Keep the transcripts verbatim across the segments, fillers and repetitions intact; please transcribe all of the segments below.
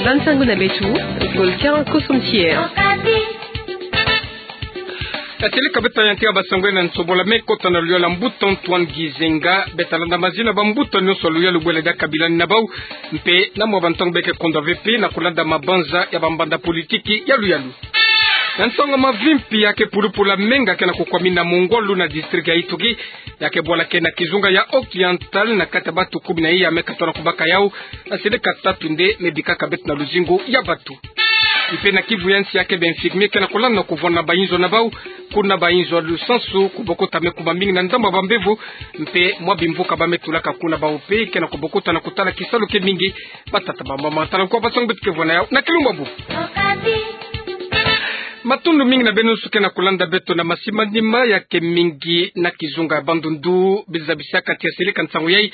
Bansango na beto, Volcan Kosomtier. Atsele ka beto yantika basango na nsobola me kota na luyalu ya mbuta Antoine Gizenga, beta landa mazina bambuta nyonso ya luyalu bwele diaka bilani na bau, mpe na mwa bantango beke kondwa ve mpe na kulanda mabanza ya bambanda politiki ya luyalu. Na nsangu mavimpi, ya ke pulupulu ya menga ke na kukwamina mongolo na district ya Ituri, ya ke bwala ke na kizunga ya Occidental na kati ya batu kumi na iya me katona kubaka yau, na seleka tatu nde me bikaka beto na luzingu ya batu. Mpe na Kivu ya nsi, ya ke ba infirmier ke na kulanda kuvwanda bainzo na bau, kuna bainzo ya lusansu, kubokota me kuma mingi na ndambu ya bambevo, mpe mwa bimvuka ba me tulaka kuna bau mpe ke na kubokota na kutala kisalu ke mingi. Batata, bamama, tala nkwa basango beto ke vwa na yau na kilumbu bu. Matondo mingi na beno nyonso ke na kulanda beto na masimanima ya ke mingi na kizunga ya Bandundu. Biza bisaka tia seleka nsangu yai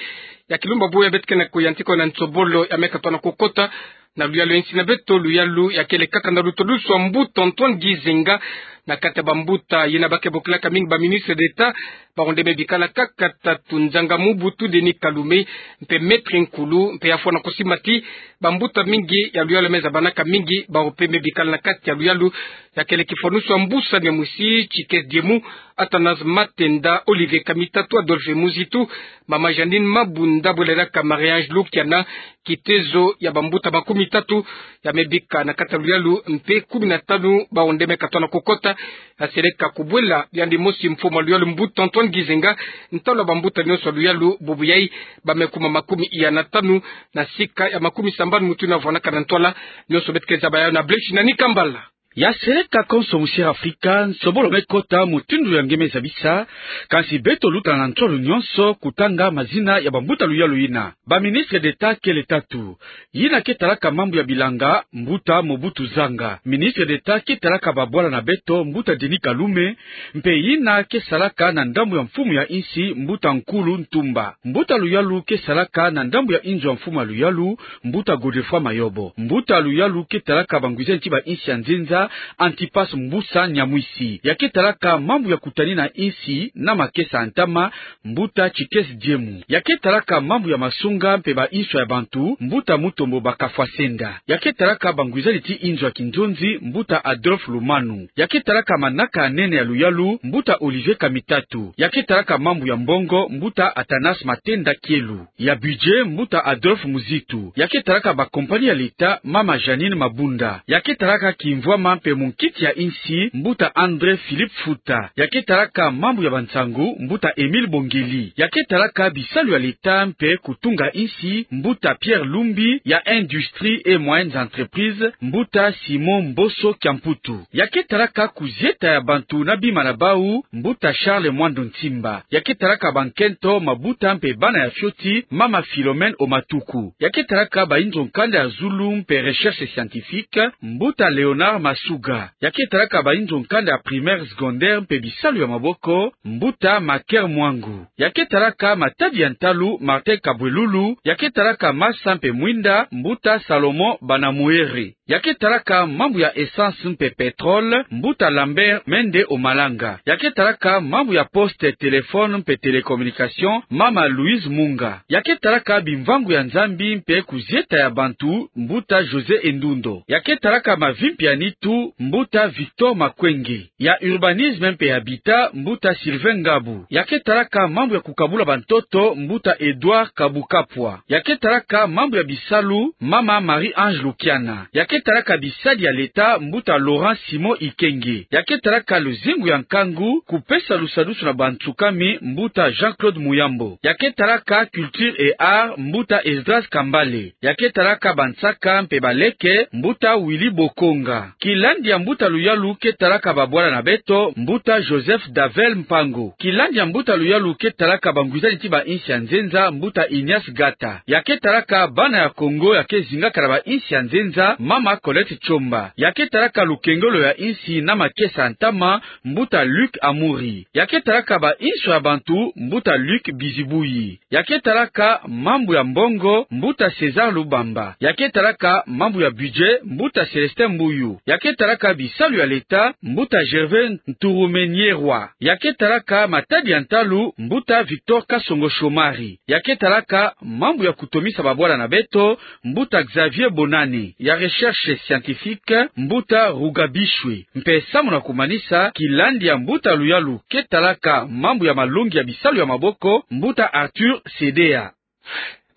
ya kilumbu bu ya beto ke na kuyantika na nsobolo ya me katona kukota na luyalu ya nsi na beto, luyalu ya kele kaka na lutulusu ya mbuta Antoine Gizenga, na kati ya bambuta yina ba ke bokilaka mingi ba ministre d'État, bawu nde me bikala kaka tatu: Nzanga Mobutu Denis Kalume, mpe Maître Nkulu, mpe ya fwana kusimba ti bambuta mingi ya luyalu ya me zabanaka mingi, bawu mpe me bikala na kati ya luyalu ya kele kifwanusu ya mbusa ya mwisi, Tchikez Diemu, Athanase Matenda, Olivier Kamitatu, Adolphe Muzitu, mama Jeanine Mabunda, bwele diaka Marie-Ange Lukiana, kitezo ya bambuta makumi tatu ya me bika na kati ya luyalu, mpe kumi na tanu bawu nde me katona kukota. Ya seleka kubwela yandi mosi mfumu ya luyalu mbuta Antoine Gizenga, ntalu ya bambuta nyonso ya luyalu bubu yai, ba me kuma makumi iya na tanu na sika ya makumi sambanu mutu yina vwanaka na ntwala. Nyonso beto ke zaba yau na Blaise Nani Kambala. Ya seleka konso musi ya Afrika, nsobolo me kota mutindu ya nge me zabisa, kansi beto luta na ntwala nyonso kutanga mazina ya bambuta luyalu yina. Ba ministre d'État kele tatu. Yina ke talaka mambu ya bilanga, mbuta Mobutu Zanga. Ministre d'État ke talaka babwala na beto, mbuta Denis Kalume, mpe yina ke salaka na ndambu ya mfumu ya nsi, mbuta Nkulu Ntumba. Mbuta luyalu ke salaka na ndambu ya inzo ya mfumu ya luyalu, mbuta Godefroid Mayobo. Mbuta luyalu ke talaka bangwiza nti ba nsi ya nzenza, Antipas Mbusa Nyamwisi. Ya ke talaka mambu ya kutanina nsi na makesa ya ntama, mbuta Tchikez Diemu. Ya ke talaka mambu ya masunga mpe ba nswa ya bantu, mbuta Mutombo Bakafwasenda. Ya ke talaka bangwizani ti inzo ya kinzonzi, mbuta Adolphe Lumanu. Ya ke talaka manaka ya nene ya luyalu, mbuta Olivier Kamitatu. Ya ke talaka mambu ya mbongo, mbuta Athanase Matenda Kielu. Ya budget, mbuta Adolphe Muzitu. Ya ke talaka ba compagnie ya l'État, mama Jeanine Mabunda. Ya ke talaka kimvwama mpe munkiti ya nsi, mbuta André Philippe Futa. Ya ke talaka mambu ya bansangu, mbuta Émile Bongeli. Ya ke talaka bisalu ya l'État mpe kutunga nsi, mbuta Pierre Lumbi. Ya industrie et moyennes entreprises, mbuta Simon Mboso Kiamputu. Ya ke talaka kuzieta ya bantu na bima na bau, mbuta Charles Mwando Nsimba. Ya ke talaka bankento, mabuta mpe bana ya fioti, mama Philomène Omatuku. Ya ke talaka ba inzo nkanda ya zulu mpe recherche scientifique, mbuta Léonard Masuga. Ya ke talaka ba inzo nkanda ya primaire, secondaire mpe bisalu ya maboko, mbuta Maker Mwangu. Ya ke talaka matadi ya ntalu, Martin Kabwelulu. Ya ke talaka masa mpe mwinda, mbuta Salomon Banamuere. Ya ke talaka mambu ya essence mpe pétrole, mbuta Lambert Mende Omalanga. Ya ke talaka mambu ya poste, téléphone mpe télécommunication, mama Louise Munga. Ya ke talaka bimvangu ya Nzambi mpe kuzieta ya bantu, mbuta José Endundo. Ya ke talaka mavimpi ya nitu, mbuta Victor Makwenge. Ya urbanisme mpe habitat, mbuta Sylvain Ngabu. Ya ke talaka mambu ya kukabula bantoto, mbuta Edouard Kabukapwa. Ya ke talaka mambu ya bisalu, mama Marie-Ange Lukiana. Ya ke talaka bisadi ya l'État, mbuta Laurent Simon Ikenge. Ya ke talaka luzingu ya nkangu, kupesa lusadusu na bansukami, mbuta Jean-Claude Muyambo. Ya ke talaka culture et art, mbuta Esdras Kambale. Ya ke talaka bansaka mpe baleke, mbuta Willy Bokonga. Kilandi ya mbuta luyalu ke talaka babwala na beto, mbuta Joseph Davel Mpango. Kilandi ya mbuta luyalu ke talaka bangwizani ti ba nsi ya nzenza, mbuta Ignace Gata. Ya ke talaka bana ya Kongo ya ke zingaka na ba nsi ya nzenza, mama Colette Tshomba. Ya ke talaka lukengelo ya nsi na makesa ya ntama, mbuta Luc Amuri. Ya ke talaka ba nswa ya bantu, mbuta Luc Bizibuyi. Ya ke talaka mambu ya mbongo, mbuta César Lubamba. Ya ke talaka mambu ya budget, mbuta Célestin Mbuyu. Ya ke ke talaka bisalu ya leta, mbuta Gervais Nturumenyerwa. Ya ke talaka matadi ya ntalu, mbuta Victor Kasongo Shomari. Ya ke talaka mambu ya kutomisa babwala na beto, mbuta Xavier Bonane. Ya recherche scientifique, mbuta Rugabishwe. Mpe samu na kumanisa, kilandi ya mbuta luyalu ke talaka mambu ya malongi ya bisalu ya maboko, mbuta Arthur Sedea.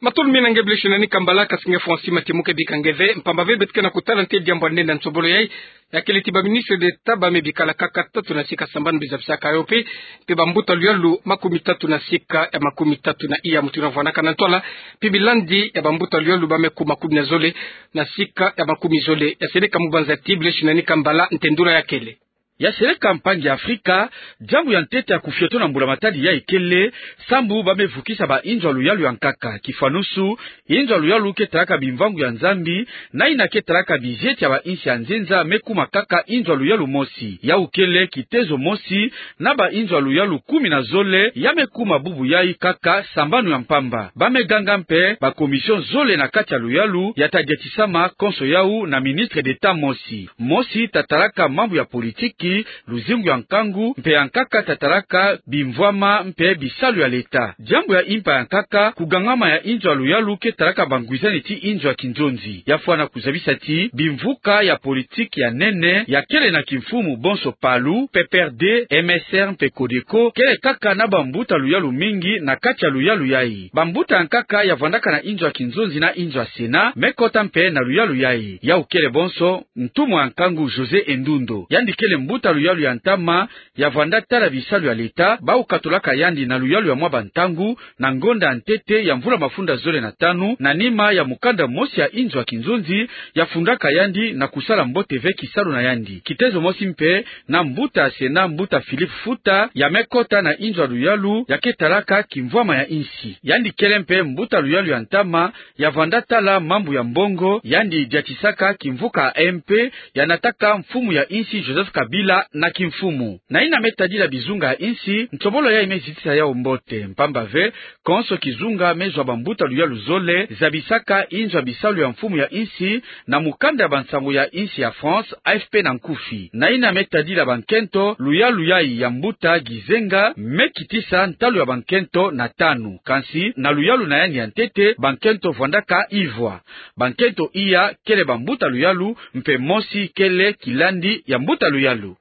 Matondo mingi na nge Blaise Nani Kambala, kasi nge Francis Matimuke bika nge ve, mpamba ve beto ke na kutala ntete diambu ya nene ya nsobolo yayi, ya kele ti ba ministre d'État ba me bikala kaka tatu na sika sambanu bizabisaka yo mpe, mpe bambuta luyalu makumi tatu na sika ya makumi tatu na iya mutindu na vwanakana ntwala, mpe bilandi ya bambuta luyalu ba me kuma kumi na zole na sika ya makumi zole. Ya seleka mu banza ti Blaise Nani Kambala, ntendula ya kele. Ya seleka mpangi Afrika, diambu ya ntete ya kufioto na mbula-matadi yayi kele, sambu ba me vukisa ba inzo ya luyalu ya nkaka. Kifanusu, inzo ya luyalu ke talaka bimvangu ya Nzambi, na yina ke talaka bizieti ya ba insi ya nzenza me kuma kaka inzo ya luyalu mosi. Yawu kele kitezo mosi, na ba inzo ya luyalu kumi na zole ya me kuma bubu yayi kaka sambanu ya mpamba. Ba me ganga mpe ba commission zole na kati ya luyalu ya ta diatisama, konso yawu na ministre d'État mosi. Mosi ta talaka mambu ya politiki, luzingu ya nkangu, mpe ya nkaka ta talaka bimvwama mpe bisalu ya leta. Diambu ya impa ya nkaka, kugangama ya inzo ya luyalu ke talaka bangwizani ti inzo ya kinzonzi. Ya fwana kuzabisa ti bimvuka ya politiki ya nene ya kele na kimfumu, bonso PALU, P P R D, M S R mpe CODECO, kele kaka na bambuta luyalu mingi na kati ya luyalu yayi. Bambuta ya nkaka ya vwandaka na inzo ya kinzonzi na inzo ya Sénat me kota mpe na luyalu yayi. Yawu kele bonso ntumwa ya nkangu José Endundo. Yandi kele mbuta luyalu ya ntama ya vwanda tala bisalu ya leta, bawu katolaka yandi na luyalu ya mwa bantangu, na ngonda ya ntete ya mvula mafunda zole na tanu, na nima ya mukanda mosi ya inzo ya kinzonzi ya fundaka yandi na kusala mbote ve kisalu na yandi. Kitezo mosi mpe na mbuta ya Sénat, mbuta Philippe Futa, ya me kota na inzo ya luyalu ya ke talaka kimvwama ya insi. Yandi kele mpe mbuta luyalu ya ntama ya vwanda tala mambu ya mbongo, yandi diatisaka kimvuka ya M P, ya nataka mfumu ya insi Joseph Kabila na kimfumu. Na yina me tadila bizunga ya insi, nsobolo yayi me zitisa yawu mbote, mpamba ve, konso kizunga me zwa bambuta luyalu zole zabisaka inzo ya bisalu ya mfumu ya insi na mukanda ya bansangu ya insi ya France, A F P na nkufi. Na yina me tadila bankento, luyalu yayi ya mbuta Gizenga me kitisa ntalu ya bankento na tanu. Kansi, na luyalu na yandi ya ntete, bankento vwandaka ivwa. Bankento iya kele bambuta luyalu, mpe mosi kele kilandi ya mbuta luyalu.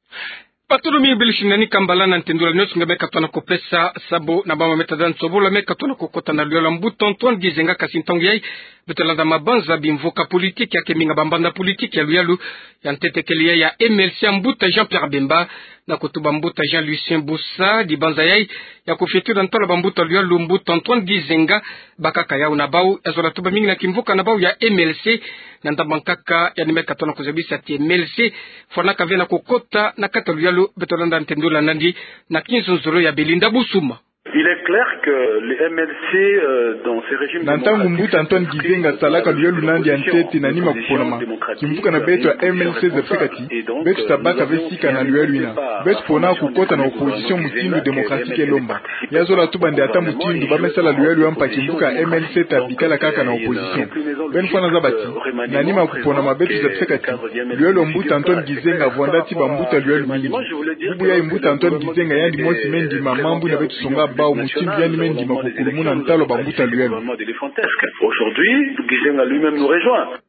Pardon mingi Blaise Nani Kambala na ntendula nionso nge me katona kupesa, sambu na mama me tadila nsobolo me katona kukota na luyalu ya mbuta Antoine Gizenga, kasi ntangu yayi beto landa mabanza bimvuka politiki ya ke minga bambanza politiki ya luyalu. Ya ntete kele yayi ya M L C ya mbuta Jean-Pierre Bemba, na kutuba mbuta Jean-Lucien Busa, dibanza yayi ya kufiotula ntwala bambuta luyalu, mbuta Antoine Gizenga, bakaka yawu na bawu. Ya zola tuba mingi na kimvuka na bawu ya M L C, na ndambu ya nkaka yandi me katona kuzabisa ti M L C fwanaka ve na kukota na kati ya luyalu. Beto landa ntendula nandi na kinzonzolo ya Belinda Busuma. Il est clair que les M L C, euh, dans ces régimes démocratiques, na ntangu mbuta Antoine Gizenga salaka luyalu na yandi ya ntete na nima kuponama, kimvuka na beto ya M L C zabisaka ti beto tabaka ve sika na luyalu yina. Beto pona kukota na opposition mutindu démocratique elomba. Ya zola tuba nde ata mutindu ba me sala luyalu ya mpa, kimvuka ya M L C tabikala kaka na opposition. Beno fwana zaba ti na nima kuponama beto zabisaka ti luyalu ya mbuta Antoine Gizenga vwanda ti bambuta luyalu mingi. Bubu yayi mbuta Antoine Gizenga yandi mosi me ndima mambu yina beto songa bawu, mutindu yandi me ndima kukulumuna ntalu ya bambuta luyalu. Aujourd'hui, Gizenga lui-même nous rejoint.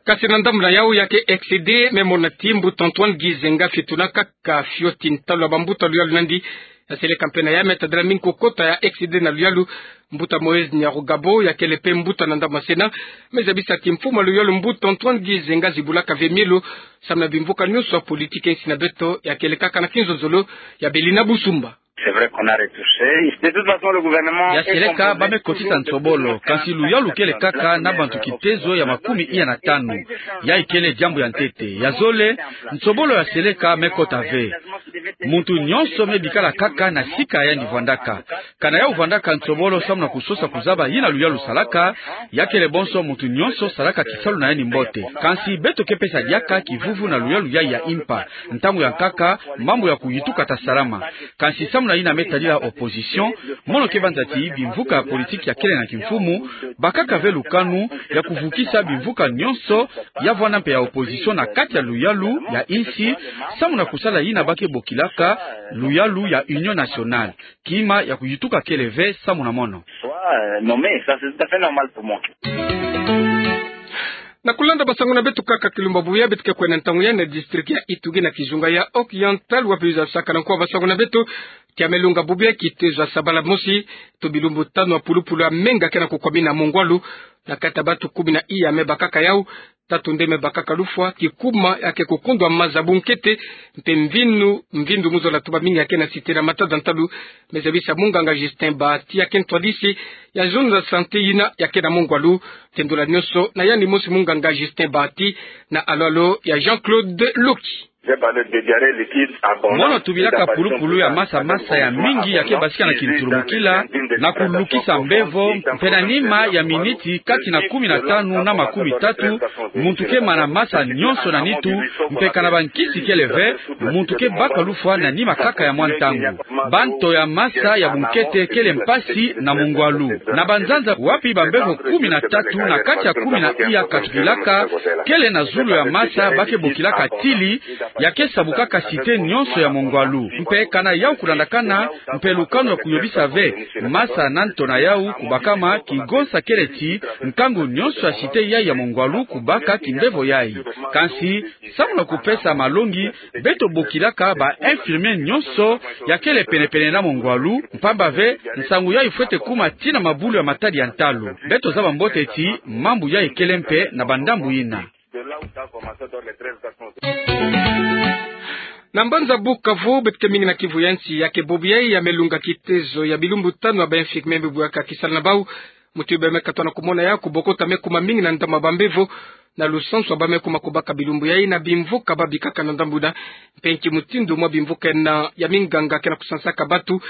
Kasi na ndambu na yawu ya ke X D me mona ti mbuta Antoine Gizenga fiotuna kaka fioti ntalu ya bambuta luyalu nandi. Ya seleka mpe na ya me tadila mingi kukota ya X D na luyalu, mbuta Moïse Nyarugabo, ya kele mpe mbuta na ndambu ya Sénat, me zabisa ti mfumu ya luyalu mbuta Antoine Gizenga zibulaka ve mielo samu na bimvuka nionso ya politiki ya insi na beto. Ya kele kaka na kinzonzolo ya Belinda Busuma. C'est vrai qu'on a retouché. De toute façon, le gouvernement... Ya seleka ba me kotisa nsobolo, kansi luyalu kele kaka na bantu kitezo ya makumi iya na tanu. Yayi kele diambu ya ntete. Ya zole, nsobolo ya seleka me kota ve. Muntu nionso me bikala kaka na sika yandi vwandaka. Kana yawu vwandaka nsobolo samu na kusosa kuzaba yina luyalu salaka, ya kele bonso muntu nionso salaka kisalu na yandi mbote. Kansi beto ke pesa diaka kivuvu na luyalu yayi ya impa. Ntangu ya nkaka, mambu ya kuyituka ta salama. Kansi samu Na yina me tadila opposition, mono ke banza ti bimvuka ya politiki ya kele na kimfumu, bakaka ve lukanu ya kuvukisa bimvuka nyonso ya vwanda mpe ya opposition na kati ya luyalu ya insi, samu na kusala yina ba ke bokilaka luyalu ya Union nationale. Kima ya kuyutuka kele ve samu na mono. Na kulanda basango na beto kaka kilumbu bubu yayi, beto ke kwenda ntangu yayi na district ya Ituri na kizunga ya Oriental, wapi luzabasaka na nkuwa basango na beto ti ya me lunga bubu yayi kitezo ya sabala mosi, to bilumbu tanu ya pulupulu ya menga ke na kukwamina mongwalu na kati ya batu kumi na iya me bakaka yau, tatu nde me bakaka lufwa, kikuma ya ke kukundwa maza bunkete, mpe mvindu, mvindu mu zola tuba mingi ya ke na sitela matada ntalu, me zabisa munganga Justin Bahati ya ke ntwadisi ya zone za santé yina ya ke na mongwalu. Tendula nyonso na yandi mosi munganga Justin Bahati na alolo ya Jean-Claude Loki. Mono tubilaka pulupulu ya masa masa ya mingi ya ke basika na kintulumukila, na kulukisa mbevo, mpe na nima ya miniti kati na kumi na tanu na makumi tatu, muntu ke mana masa nyonso na nitu, mpe kana bankisi kele ve, muntu ke baka lufwa na nima kaka ya mwa ntangu. Banto ya masa ya bunkete kele mpasi na mongwalu. Na banzanza wapi bambevo kumi na tatu na kati ya kumi na iya katukilaka, kele na zulu ya masa ba ke bokilaka tili, ya ke sabukaka site nyonso ya mongwalu. Mpe kana yau kulandakana, mpe lukanu ya kuyobisa ve masa na nto na yau kubakama, kigonsa kele ti nkangu nyonso ya site yayi ya mongwalu kubaka kimbevo yayi. Kansi, samu na kupesa malongi, beto bokilaka ba infirmier nyonso ya kele penepene na mongwalu, mpamba ve nsangu yayi fwete kuma tii na mabulu ya matadi ya ntalu. Beto zaba mbote ti mambu yayi kele mpe na bandambu yina. Na mbanza Bukavu, beto ke mingi na Kivu ya nsi, ya ke bubu yayi ya me lunga kitezo ya bilumbu tanu ya ba infirmier me bwaka kisalu na bau. Muti ba me katwa na kumona yau kubokota me kuma mingi na ndambu ya bambevo, na lusansu ya ba me kuma kubaka bilumbu yayi na bimvuka ba bikaka na ndambu yina, mpe nki mutindu mwa bimvuka yina ya minganga ke na kusansaka batu,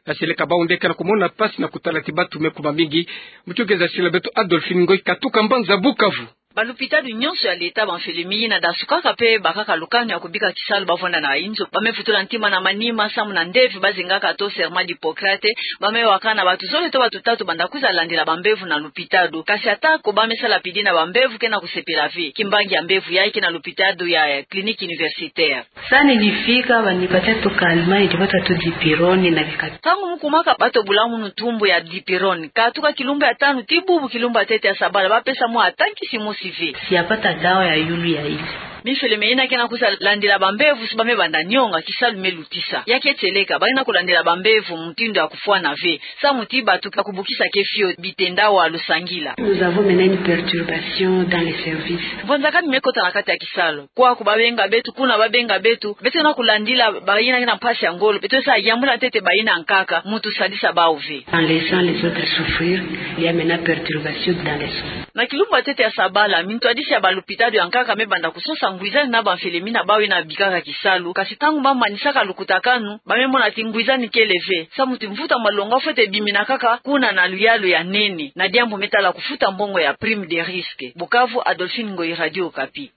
ya seleka bau nde ke na kumona mpasi na kutala ti batu me kuma mingi. Muti ke zasila beto Adolphine Ngoy katuka mbanza Bukavu. Balupitalu nyonso ya leta, bamfwelemi yina dasukaka mpe bakaka lukanu ya kubika kisalu ba vwanda na inzo, ba me vutula ntima na manima samu na ndeve ba zengaka to serment d'Hippocrate, ba me wakana batu zole to batu tatu banda kwiza landila bambevo na lupitalu. Kasi atako ba me sala pidi na bambevo ke na kusepela ve. Kimbangi ya mbevo yayi ke na lupitalu ya Clinique Universitaire. Sani nifika, banipatia tu calmant, nitapata tu dipirone na bika. Ntangu mu kumaka ba to bula munu tumbu ya dipirone, katuka kilumbu ya tanu tii bubu kilumbu ya ntete ya sabala, ba pesa mwa ata nkisi mosi ve. Siapata dawa ya yulu ya ile. Mifwelemi yina ke na kwiza landila bambevo, si ba me banda nionga, kisalu me lutisa. Ya ke tieleka, ba ke na kulandila bambevo mutindu ya kufwana ve. Samu ti batu ka kubukisa ke fioti, bitenda wa lusangila. Nous avons maintenant une perturbation dans les services. Mvwanzakani me kota na kati ya kisalu. Kwaku ba benga beto, kuna ba benga beto, beto na kulandila bayina ke na mpasi ya ngolo, beto sa yambula ntete bayina nkaka, mutu sadisa bau ve. En laissant les autres souffrir, il y a maintenant perturbation dans les soins. Na kilumbu ya ntete ya sabala, mintwadisi ya balupitalu ya nkaka me banda kusosa ngwizani na bamfwelemi na bau yina bikaka kisalu, kasi ntangu ba manisaka lukutakanu, ba me mona ti ngwizani kele ve, samu ti mvutu ya malongo fwete bimina kaka kuna na luyalu ya nene, na diambu me tala kufuta mbongo ya prime de risque. Bukavu, Adolphine Ngoyi, Radio Okapi.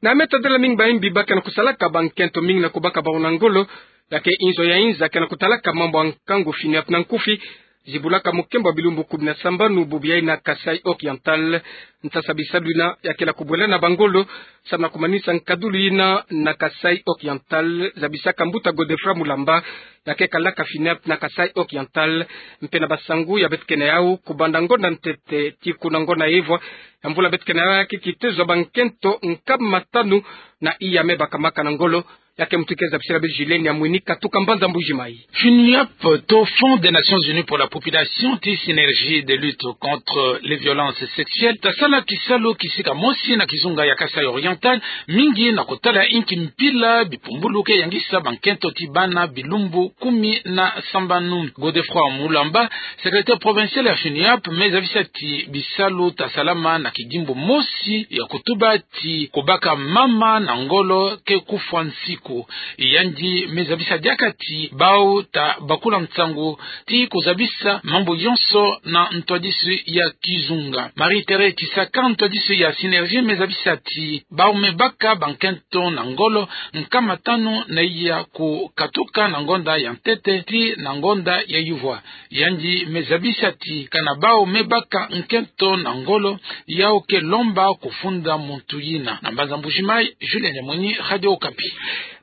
Na me tadila mingi bayimbi ba ke na kusalaka bankento mingi na kubaka bau na ngolo, ya ke inzo ya inza ke na kutalaka mambu ya nkangu FINUAP na nkufi, zibulaka mukembo ya bilumbu kumi na sambanu bubu yayi na Kasaï Oriental. Nsasa bisalu yina ya ke na kubwela na bangolo, samu na kumanisa nkadulu yina na Kasaï Oriental, zabisaka mbuta Godefroid Mulamba, ya ke kalaka FINUAP na Kasaï Oriental, mpe na basangu ya beto ke na yau, kubanda ngonda ntete tii kuna ngonda ya ivwa ya mvula beto ke na yau, ya ke kitezo ya bankento nkama tanu na iya me bakamaka na ngolo, ya ke mutu ke zabisila beto Julien Nyamwini katuka mbanza Mbuji-Mayi. FINUAP to Fonds des Nations Unies pour la Population tii Synergie de lutte contre les violences sexuelles tasala kisalu kisika mosi na kizunga ya Kasaï Oriental, mingi na kotala inki mpila bipumbulu ke yangisa bankento tii bana bilumbu kumi na sambanu. Godefroid Mulamba, secrétaire provincial ya FINUAP, me zabisa ti bisalu tasalama na kidimbu mosi ya kutuba ti kubaka mama na ngolo ke kufwa nsiku. ko. Yandi me zabisa diaka ti bawu ta bakula nsangu ti kuzabisa mambu yonso na ntwadisi ya kizunga. Marie-Thérèse Kisaka, ntwadisi ya Synergie, me zabisa ti bawu me baka bankento na ngolo, nkama tanu na iya kukatuka na ngonda ya ntete tii na ngonda ya yuvua. Yandi me zabisa ti kana bawu me baka nkento na ngolo, yawu ke lomba kufunda muntu yina. Na mbanza Mbuji-Mayi, Julien Diamwini, Radio Okapi.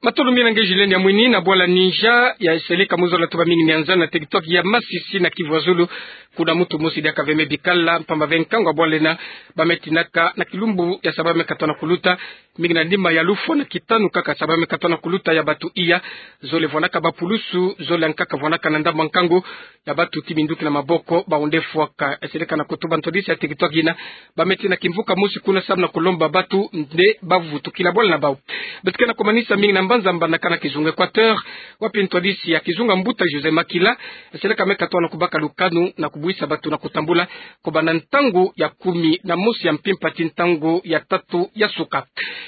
Matondo mingi na nge Julien Diamwini. Na bwala Ninja, ya seleka mu zola tuba mingi mianzana na teritware ya Masisi na Kivu ya Zulu, kuna muntu mosi diaka ve me bikala, mpamba ve nkangu ya bwala yina, ba me tinaka na kilumbu ya sabala me katoto na kuluta, mingi na nima ya lufwa na kitanu kaka sabala me katoto na kuluta ya batu iya, zole vwanaka bapulusu, zole nkaka vwanaka na ndambu ya nkangu ya batu ti minduki na maboko, bawu nde fwaka. Ya seleka na kutuba ntwadisi ya teritware yina, ba me tina kimvuka mosi kuna samu na kulomba batu nde bavutukila bwala na bawu. Beto ke na kumanisa mingi na mbanza mbandakana kizunga Équateur, wapi ntwadisi ya kizunga mbuta José Makila, ya seleka me katoto na kubaka lukanu na kubwisa batu na kutambula, kubanda ntangu ya kumi na mosi ya mpimpa tii ntangu ya tatu ya suka.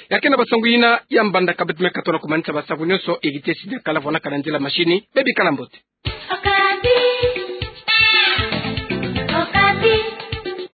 Ya ke na basangu yina ya mbandaka, beto me katoto na kumanisa basangu nyonso, Heritier Sidya Kala vwanaka na nzila machine, bebikala mbote.